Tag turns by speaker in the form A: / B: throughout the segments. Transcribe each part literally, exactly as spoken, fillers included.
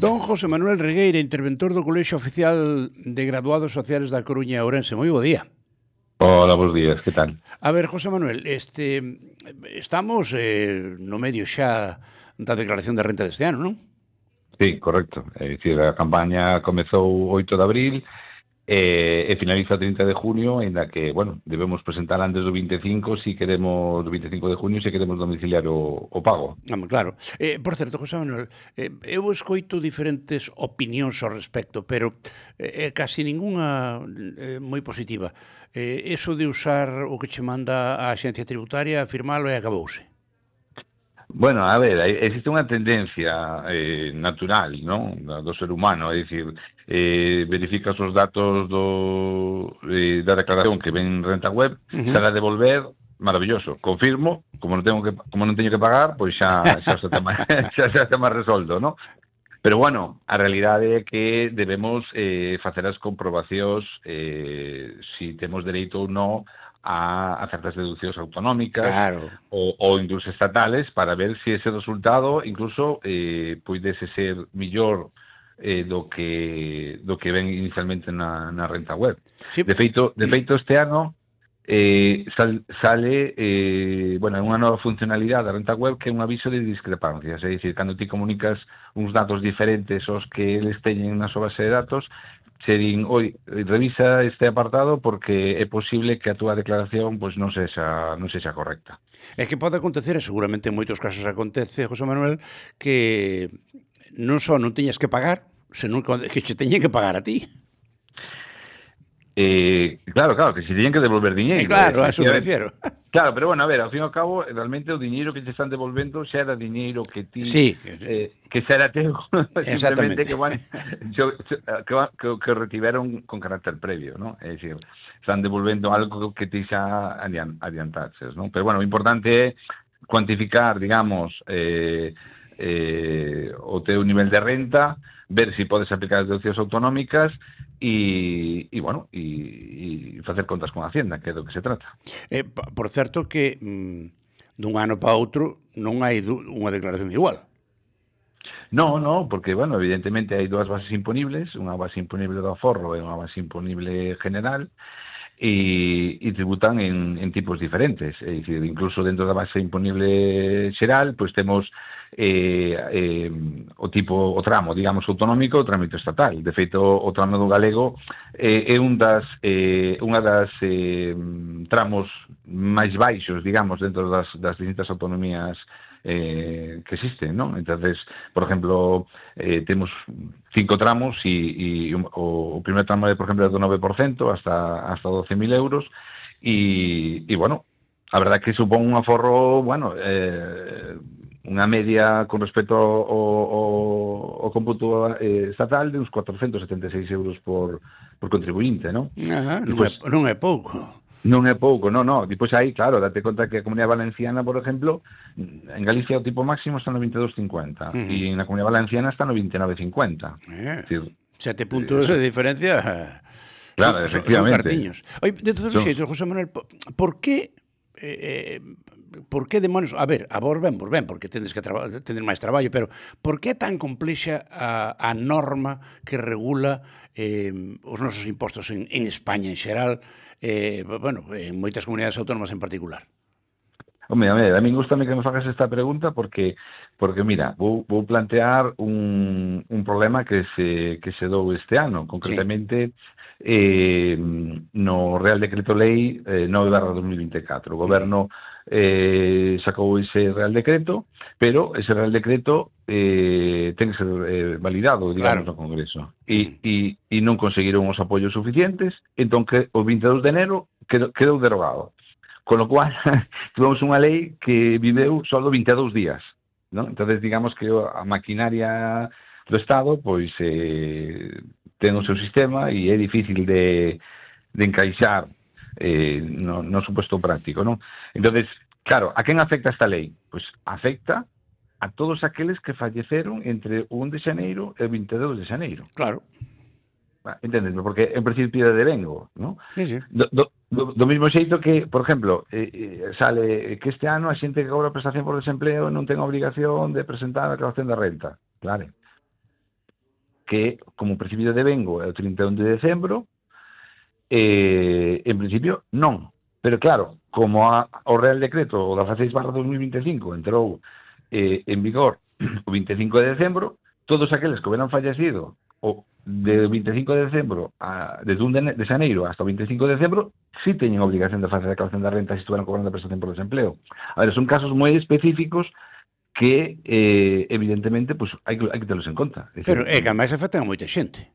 A: Don José Manuel Regueira, interventor do Colexio Oficial de Graduados Sociales da Coruña e Ourense. Moi bo día.
B: Hola, buenos días, que tal?
A: A ver, José Manuel, este, estamos eh, no medio xa da declaración de renta deste ano, non?
B: Sí, correcto. É dicir, a campaña comezou oito de abril e, e finaliza trinta de junio, en la que, bueno, debemos presentar antes do vinte e cinco si queremos, do vinte e cinco de junio, se queremos domiciliar o, o pago.
A: Ah, claro. Eh, por certo, José Manuel, eh, eu escoito diferentes opinións ao respecto, pero eh, casi ningunha eh, moi positiva. Eh, eso de usar o que che manda a Axencia Tributaria, firmalo e acabouse.
B: Bueno, a ver, existe unha tendencia eh, natural, ¿no?, do ser humano, é dicir, eh, verificas os datos do, eh, da declaración que ven en renta web, uh-huh. Se la devolver, maravilloso, confirmo, como non tengo que como non teño que pagar, pois xa xa está máis xa está máis resolto, ¿no? Pero bueno, a realidade é que debemos eh, facer as comprobacións eh, si temos dereito ou non a, a certas deduccións autonómicas,
A: claro,
B: ou, ou incluso estatales, para ver si ese resultado incluso eh, puidese ser millor eh, do que do que ven inicialmente na, na renta web.
A: Sí.
B: De feito, de feito este ano eh, sal, sale eh, bueno, unha nova funcionalidade da renta web que é un aviso de discrepancias, é dicir, cando ti comunicas uns datos diferentes aos que eles teñen na súa base de datos, se din, oi, revisa este apartado porque é posible que a túa declaración pois non sexa non sexa correcta.
A: É que pode acontecer, e seguramente en moitos casos acontece, José Manuel, que non só non teñas que pagar, senón que che teñen que pagar a ti.
B: Eh, claro, claro, que se teñen que devolver diñeiro.
A: Eh, claro, a eso me refiero.
B: Claro, pero bueno, a ver, ao fin e ao cabo, realmente o diñeiro que te están devolvendo xa era diñeiro que ti...
A: Sí.
B: Eh, que xa era teu,
A: simplemente
B: que, bueno, yo, que, que, que retiveron con carácter previo, ¿no? É dicir, están devolvendo algo que ti xa adiantases, ¿no? Pero bueno, o importante é cuantificar, digamos, eh, eh, o teu nivel de renta, ver si podes aplicar as deduccións autonómicas e, e bueno, e, e facer contas con a Hacienda, que é do que se trata.
A: Eh, por certo que mm, dun ano para outro non hai unha declaración igual.
B: No, no, porque, bueno, evidentemente hai dúas bases imponibles, unha base imponible do aforro e unha base imponible general, e, e tributan en, en tipos diferentes. É dicir, incluso dentro da base imponible xeral, pois temos eh, eh, o tipo, o tramo, digamos, autonómico, o trámite estatal. De feito, o tramo do galego eh, é un das, eh, unha das eh, tramos máis baixos, digamos, dentro das, das distintas autonomías Eh, que existen, ¿no? Entonces, por ejemplo, eh, temos cinco tramos e, e o, o primer tramo é, por exemplo, do nove por cento hasta, hasta doce mil euros e, e, bueno, a verdad que supón un aforro, bueno, eh, unha media con respecto ao, ao, ao cómputo eh, estatal de uns cuatrocentos setenta e seis euros por, por contribuinte, ¿no?
A: Ajá, non, pues, é, non é pouco.
B: Non é pouco, non, non. Depois aí, claro, date conta que a Comunidade Valenciana, por exemplo, en Galicia o tipo máximo está no veintidós cincuenta uh-huh. e na Comunidade Valenciana está no veintinueve cincuenta.
A: Eh, decir, sete puntos eh, de diferencia.
B: Claro,
A: son,
B: efectivamente.
A: Son cartiños. Oye, de todos os xeitos, José Manuel, por que eh, por que demonios, a ver, a vos ben, vos ben, porque tendes que traba, tener máis traballo, pero por que é tan complexa a, a norma que regula eh, os nosos impostos en, en España en xeral, eh, bueno, en moitas comunidades autónomas en particular?
B: Home, a, ver, a mí gustame que me fagas esta pregunta porque, porque mira, vou, vou plantear un, un problema que se, que se dou este ano, concretamente sí. eh, no Real Decreto Lei eh, nove barra dos mil vinte e catro. O Goberno eh, sacou ese Real Decreto, pero ese Real Decreto eh, ten que ser eh, validado, digamos, claro, no Congreso. E, e, e non conseguiron os apoios suficientes, entón que o vinte e dous de enero quedou, quedou derogado. Con lo cual, tuvemos unha lei que viveu só vinte e dous días, ¿no? Entonces, digamos que a maquinaria do Estado, pois, eh, ten o seu sistema e é difícil de, de encaixar eh, no, no suposto práctico, ¿no? Entonces, claro, a quen afecta esta lei? Pois afecta a todos aqueles que falleceron entre o un de xaneiro e o vinte e dous de xaneiro.
A: Claro.
B: Entendesme, porque en principio de devengo, ¿no?
A: Sí, sí.
B: Do, do, do, do mismo xeito que, por exemplo, eh, eh, sale que este ano a xente que cobra prestación por desempleo non ten a obrigación de presentar a declaración de renta. Claro. que como o principio de devengo é o trinta e un de decembro, eh, en principio non. Pero claro, como a, o Real Decreto o dezasseis barra dos mil vinte e cinco entrou eh, en vigor o vinte e cinco de decembro, todos aqueles que hubieran fallecido o de vinte e cinco de decembro a, desde un de, de xaneiro hasta o vinte e cinco de decembro sí teñen obligación de facer a declaración da renta se estuveran cobrando a prestación por desempleo. A ver, son casos moi específicos que eh, evidentemente pues, hai, que, hai que telos en conta.
A: Decir, pero é que a máis afectan a moita xente.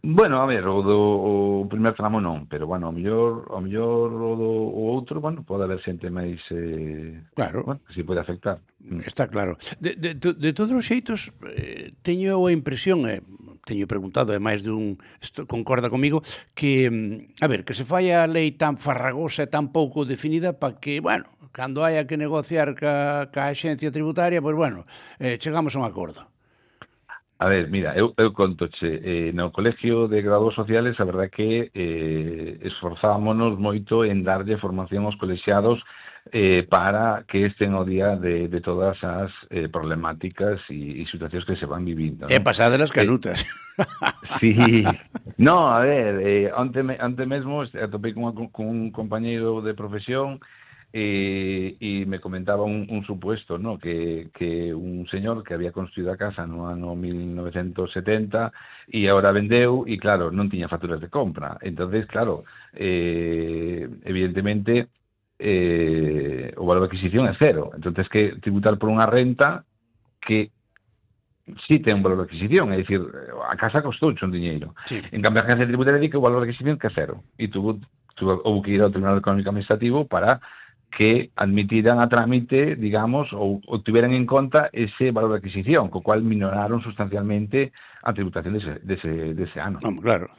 B: Bueno, a ver, o do o primer tramo non, pero bueno, ao mellor, ao mellor o do o outro, bueno, pode haber xente máis eh,
A: claro,
B: bueno, que si pode afectar.
A: Está claro. De, de, de todos os xeitos, eh, teño a impresión, eh, teño preguntado, e máis dun esto, concorda comigo, que, a ver, que se fai a lei tan farragosa e tan pouco definida para que, bueno, cando haya que negociar ca, ca axencia tributaria, pois, pues, bueno, eh, chegamos a un acordo.
B: A ver, mira, eu, eu contoche, eh, no Colegio de Graduados Sociales, a verdade que eh, esforzámonos moito en darlle formación aos colexiados eh, para que estén ao día de, de todas as eh, problemáticas e, e situacións que se van vivindo, ¿no?
A: É pasada das canutas.
B: Eh, sí, no, a ver, eh, ante, ante mesmo atopei con, con un compañeiro de profesión e, e me comentaba un, un supuesto, ¿no? que, que un señor que había construído a casa no ano mil novecentos setenta e agora vendeu e claro, non tiña facturas de compra, entonces claro, eh, evidentemente eh, o valor de adquisición é cero, entonces que tributar por unha renta que sí ten un valor de adquisición, é dicir, a casa costou un diñeiro, sí. En cambio a agencia tributaria di que o valor de adquisición que é cero e tuvo, tuvo, houve que ir ao Tribunal Económico Administrativo para que admitiran a trámite, digamos, ou, ou tiveran en conta ese valor de adquisición, co cual minoraron sustancialmente a tributación dese, dese, dese ano.
A: No, claro.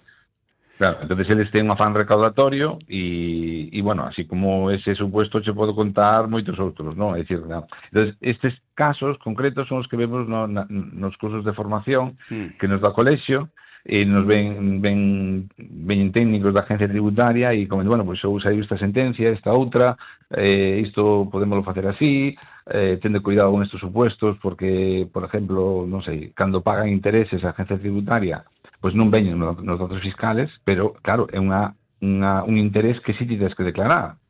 B: Claro, entonces eles ten un afán recaudatorio e, e, bueno, así como ese supuesto che podo contar moitos outros, non? É dicir, no. Entonces, estes casos concretos son os que vemos no, na, nos cursos de formación mm. que nos dá o colexio, e nos ven, ven, ven técnicos da agencia tributaria e comentan, bueno, pois pues, eu saiu esta sentencia, esta outra, eh, isto podémoslo facer así, eh, tende cuidado con estes supuestos, porque, por exemplo, non sei, cando pagan intereses a agencia tributaria, pois pues non veñen nos, nos datos fiscales, pero, claro, é unha, unha, un interés que sí tens que declarar.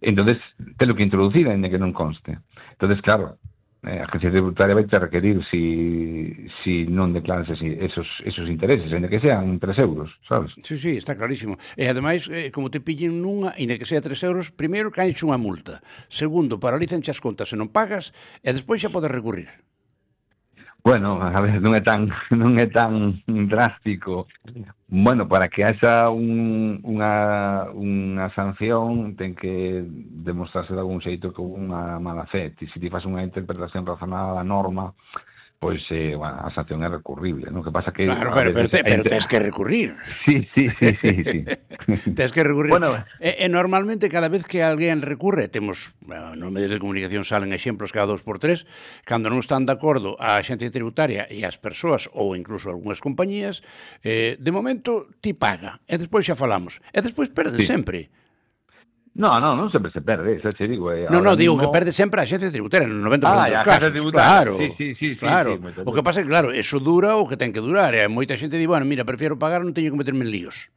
B: Entonces, telo que introducir, ainda que non conste. Entonces, claro, Eh, a agencia tributaria vai te requerir si, si non declaras esi, esos, esos intereses, ainda que sean tres euros, sabes?
A: Sí, sí, está clarísimo. E ademais, eh, como te pillen nunha, ainda que sea tres euros, primeiro caenche unha multa, segundo, paralizanche as contas se non pagas, e despois xa podes recurrir.
B: Bueno, a ver, non é tan non é tan drástico. Bueno, para que haxa un, unha, unha sanción ten que demostrarse de algún xeito que unha mala fe. E se ti faz unha interpretación razonada da norma, pois eh, bueno, a sanción é recurrible, non? Que pasa que
A: claro, pero, pero, te, pero tens que recurrir.
B: Sí, sí, sí, sí, sí.
A: Tens que recurrir. Bueno, e, e normalmente cada vez que alguén recurre, temos, bueno, nos medios de comunicación salen exemplos cada dos por tres, cando non están de acordo a agencia tributaria e as persoas ou incluso algunhas compañías, eh, de momento ti paga, e despois xa falamos, e despois perdes sí. sempre.
B: No, no, non sempre se perde, xa che digo. Eh,
A: no, no, digo mismo... que perde sempre a xencia tributaria, no noventa por cento
B: ah,
A: dos casos.
B: Claro,
A: sí,
B: sí, sí,
A: claro.
B: Sí, sí,
A: o que pasa é que, claro, eso dura o que ten que durar. E moita xente di, bueno, mira, prefiero pagar, non teño que meterme en líos.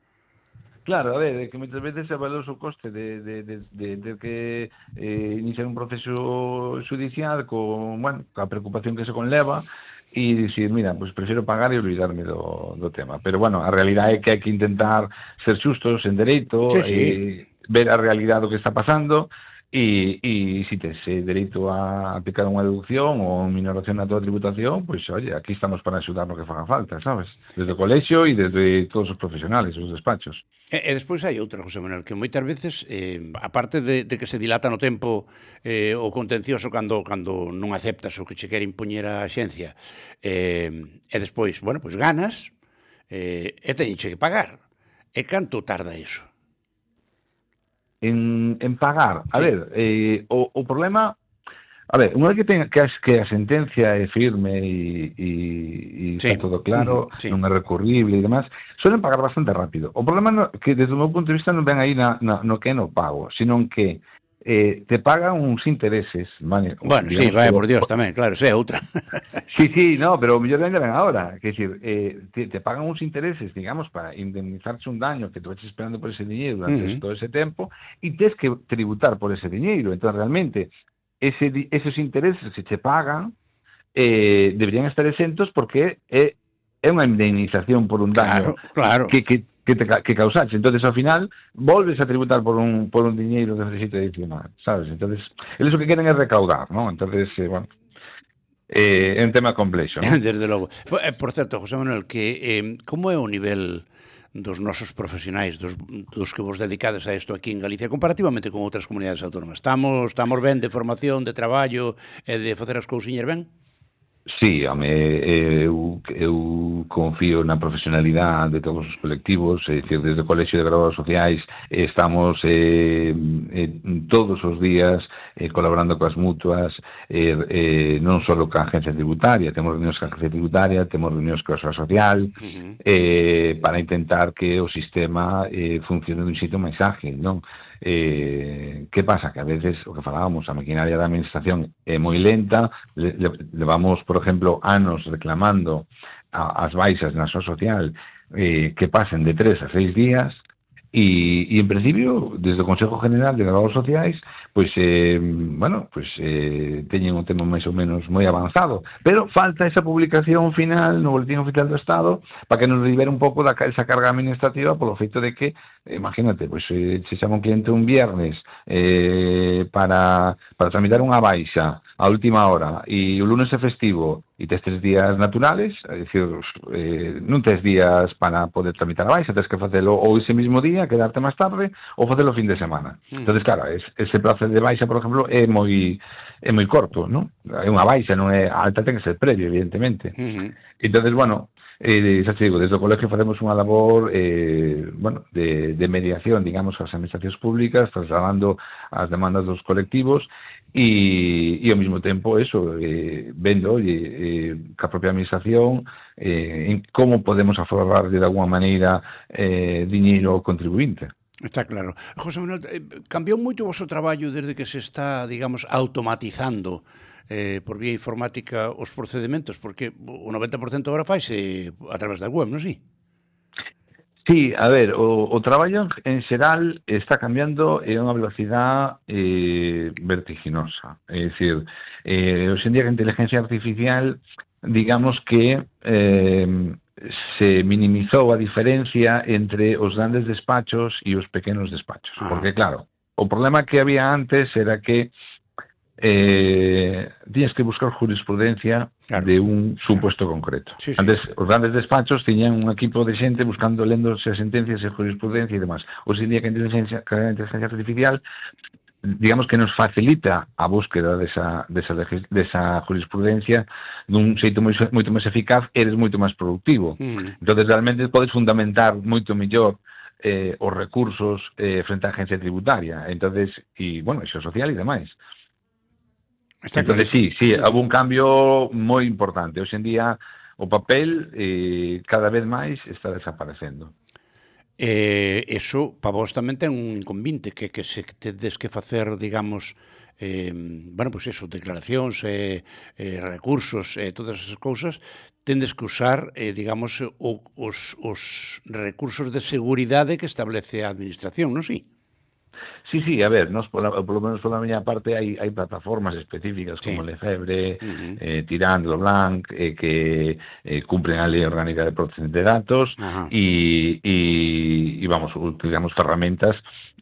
B: Claro, a ver, que moitas veces se avalou o coste de, de, de, de, de que eh, iniciar un proceso judicial con, bueno, a preocupación que se conleva e dicir, mira, pues prefiero pagar e olvidarme do, do tema. Pero, bueno, a realidade é que hai que intentar ser xustos en dereito,
A: sí, sí.
B: Eh, ver a realidade do que está pasando e, e si tes eh, dereito a aplicar unha deducción ou minoración na tua tributación, pois, pues, oye, aquí estamos para axudar no que faga falta, sabes? Desde o colexio e desde todos os profesionales, os despachos.
A: E, e despois hai outra, José Manuel, que moitas veces, eh, aparte de, de que se dilata no tempo eh, o contencioso cando, cando non aceptas o que che quere impoñer a xencia, eh, e despois, bueno, pois ganas, eh, e teñenche que pagar. E canto tarda iso?
B: En, en pagar. A
A: sí.
B: ver, eh, o, o problema... A ver, unha vez que, ten, que, as, que a sentencia é firme e, e, e sí. está todo claro, sí. non é recurrible e demás, suelen pagar bastante rápido. O problema é no, que, desde o meu punto de vista, non ven aí na, na, no que é no pago, sino que eh, te pagan uns intereses, vale?
A: Bueno, sí, vaya por Dios tamén, claro, esa é outra.
B: Sí, sí, no, pero o mellor ainda ven agora, que decir, eh, te, te pagan uns intereses, digamos, para indemnizarse un daño que te vas esperando por ese diñeiro durante
A: Uh -huh.
B: todo ese tempo, e tes que tributar por ese diñeiro. Entón, realmente, ese, esos intereses que te pagan eh, deberían estar exentos porque é, é unha indemnización por un daño
A: Claro, claro.
B: que, que que te que causaste. Entonces, ao final, volves a tributar por un por un diñeiro que necesita adicional, sabes? Entonces, eles o que queren é recaudar, ¿no? Entonces, eh, bueno, eh, é un tema complexo, ¿no?
A: Desde logo. Por certo, José Manuel, que eh, como é o nivel dos nosos profesionais, dos, dos que vos dedicades a isto aquí en Galicia, comparativamente con outras comunidades autónomas? Estamos, estamos ben de formación, de traballo e de facer as cousiñas ben?
B: Sí, home, eu, eu confío na profesionalidade de todos os colectivos, é dicir, desde o Colexio de Graduados Sociais estamos eh, eh, todos os días eh, colaborando coas mutuas, eh, eh, non só coa agencia tributaria, temos reunións coa agencia tributaria, temos reunións coa Seguridade Social, uh-huh. eh, para intentar que o sistema eh, funcione dun xeito máis ágil, non? Eh, que pasa? Que a veces, o que falábamos, a maquinaria da administración é moi lenta, le, le, levamos, por exemplo, anos reclamando a, as baixas na súa social eh, que pasen de tres a seis días, e, e en principio, desde o Consejo General de Graduados Sociais, pois, eh, bueno, pois, eh, teñen un tema máis ou menos moi avanzado, pero falta esa publicación final no Boletín Oficial do Estado para que nos libere un pouco da esa carga administrativa polo feito de que, eh, imagínate, pois, eh, se chama un cliente un viernes eh, para, para tramitar unha baixa a última hora e o lunes é festivo e tes tres días naturales, é dicir, eh, non tes días para poder tramitar a baixa, tes que facelo ou ese mismo día, quedarte máis tarde, ou facelo o fin de semana. Uh -huh. Entón, claro, es, ese prazo de baixa, por exemplo, é moi é moi corto, non? É unha baixa, non é alta, ten que ser previo, evidentemente. Uh -huh. Entón, bueno, eh, xa te digo, desde o colegio facemos unha labor eh, bueno, de, de mediación, digamos, as administracións públicas, trasladando as demandas dos colectivos, e, e ao mesmo tempo eso, eh, vendo oye, eh, ca propia administración eh, en como podemos aforrar de alguma maneira eh, diñeiro ao contribuinte.
A: Está claro. José Manuel, cambiou moito o vosso traballo desde que se está, digamos, automatizando eh, por vía informática os procedementos, porque o noventa por cento agora faise a través da web, non si?
B: Sí, a ver, o, o traballo en xeral está cambiando en unha velocidade eh, vertiginosa. É dicir, eh, hoxe en día que a inteligencia artificial, digamos que eh, se minimizou a diferencia entre os grandes despachos e os pequenos despachos. Ah. Porque, claro, o problema que había antes era que eh, tiñas que buscar jurisprudencia claro, de un supuesto claro. concreto. Sí, sí. Antes, os grandes despachos tiñan un equipo de xente buscando, lendo as sentencias e jurisprudencia e demás. Hoxe en día que a inteligencia, que a inteligencia artificial, digamos que nos facilita a búsqueda desa, desa, desa jurisprudencia dun xeito moi, moito máis eficaz, eres moito máis productivo. Mm. Entón, realmente, podes fundamentar moito mellor eh, os recursos eh, frente á agencia tributaria. Entonces, e, bueno, iso social e demais. Entonces, sí, sí, houve un cambio moi importante. Hoxe en día o papel eh, cada vez máis está desaparecendo.
A: Eh, eso, para vos tamén ten un inconvinte, que, que se tedes que facer, digamos, eh, bueno, pois pues eso, declaracións, eh, eh, recursos, eh, todas esas cousas, tendes que usar, eh, digamos, o, os, os recursos de seguridade que establece a administración, non si?
B: Sí, sí, a ver, nos, por, por lo menos por la miña parte hai, hai plataformas específicas sí. como Lefebvre, uh-huh. eh, Tirant, Leblanc, eh, que eh, cumplen a Lei Orgánica de Protección de Datos e, uh-huh. y, y vamos, utilizamos ferramentas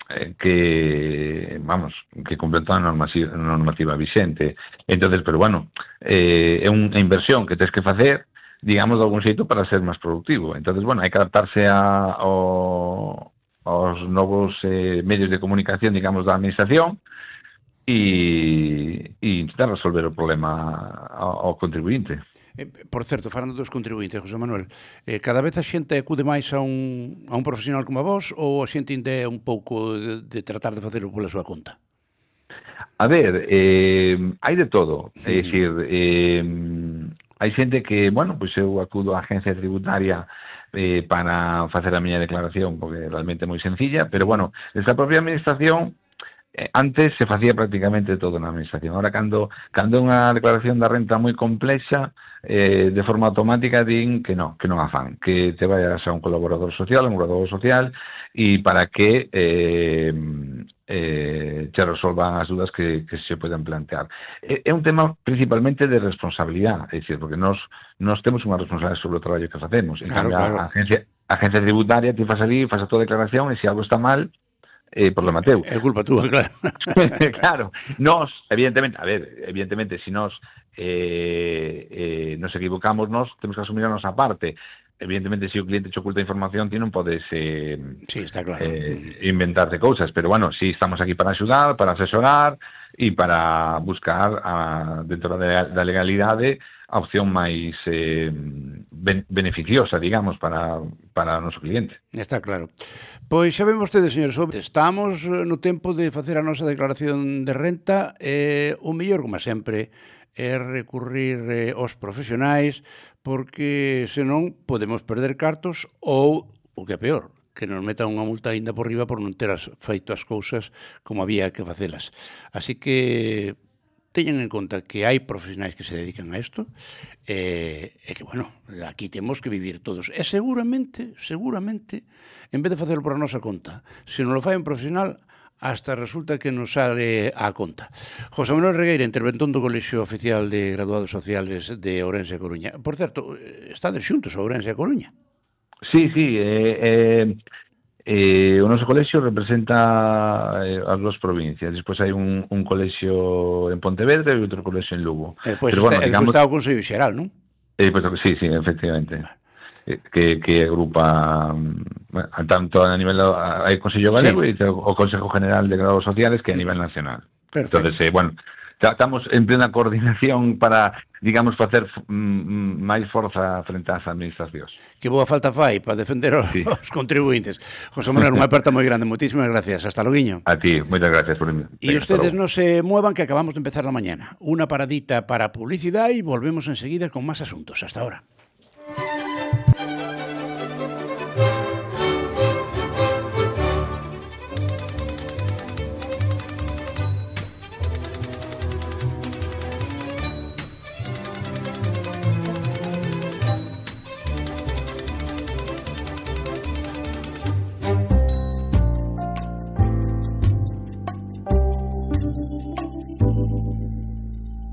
B: eh, que, vamos, que cumplen toda a normativa, normativa vicente. Entonces, pero bueno, eh, é unha inversión que tens que facer, digamos, de algún xeito para ser máis productivo. Entonces, bueno, hai que adaptarse a, ao aos novos eh, medios de comunicación, digamos, da administración e, e intentar resolver o problema ao, ao contribuinte.
A: Eh, por certo, falando dos contribuintes, José Manuel, eh, cada vez a xente acude máis a un, a un profesional como a vos ou a xente ainda é un pouco de, de tratar de facelo pola súa conta?
B: A ver, eh, hai de todo. É dicir, eh, hai xente que, bueno, pois eu acudo á agencia tributaria eh, para facer a miña declaración, porque realmente é moi sencilla, pero, bueno, desde a propia administración eh, antes se facía prácticamente todo na administración. Ahora, cando, cando é unha declaración da renta moi complexa, eh, de forma automática din que non, que non a fan, que te vayas a un colaborador social, un colaborador social, e para que eh, eh, te resolvan as dúdas que, que se poden plantear. É, é un tema principalmente de responsabilidade, é dicir, porque nós, nós temos unha responsabilidade sobre o traballo que facemos. En
A: Claro,
B: cambio,
A: claro.
B: a agencia, a agencia tributaria te faz ali, faz a tua declaración, e se algo está mal, eh, problema teu.
A: É culpa túa, claro.
B: Claro, nós, evidentemente, a ver, evidentemente, se nós eh, eh, nos equivocamos, nós temos que asumir a nosa parte. Evidentemente, se o cliente te oculta información, ti non podes eh,
A: Sí, está claro.
B: eh, inventarte cousas, pero bueno, sí, estamos aquí para axudar, para asesorar e para buscar a, dentro da, da legalidade a opción máis eh, ben, beneficiosa, digamos, para, para o noso cliente.
A: Está claro. Pois xa ven vostedes, señores, estamos no tempo de facer a nosa declaración de renta, e o mellor, como sempre, é recurrir eh, aos profesionais, porque senón podemos perder cartos ou, o que é peor, que nos metan unha multa aínda por riba por non ter as, feito as cousas como había que facelas. Así que teñan en conta que hai profesionais que se dedican a isto e, e que, bueno, aquí temos que vivir todos. E seguramente, seguramente, en vez de facelo por a nosa conta, se non lo fai un profesional, hasta resulta que nos sale a conta. José Manuel Regueira, interventón do Colexio Oficial de Graduados Sociales de Ourense e Coruña. Por certo, estades xuntos a Ourense e Coruña?
B: Sí, sí, eh, eh, eh, o noso colexio representa eh, as dúas provincias. Despois hai un, un colexio en Pontevedra e outro colexio en Lugo.
A: E despois
B: Pero, bueno,
A: está,
B: digamos,
A: está o Consello Xeral, non?
B: Eh, pues, sí, sí, efectivamente. Eh, Que, que agrupa, bueno, tanto a nivel hai Consello Galego sí. E o Consejo General de Grados Sociales que a nivel nacional.
A: Perfecto.
B: Entonces, eh, bueno, ya estamos en plena coordinación para, digamos, facer mm, máis forza frente ás administracións.
A: Que boa falta fai para defender os, sí. os contribuintes. José Manuel, unha aperta moi grande. Moitísimas gracias. Hasta loguiño.
B: A ti, moitas gracias por mí.
A: E ustedes non se muevan, que acabamos de empezar la mañana. Una paradita para publicidade e volvemos enseguida con máis asuntos. Hasta ahora.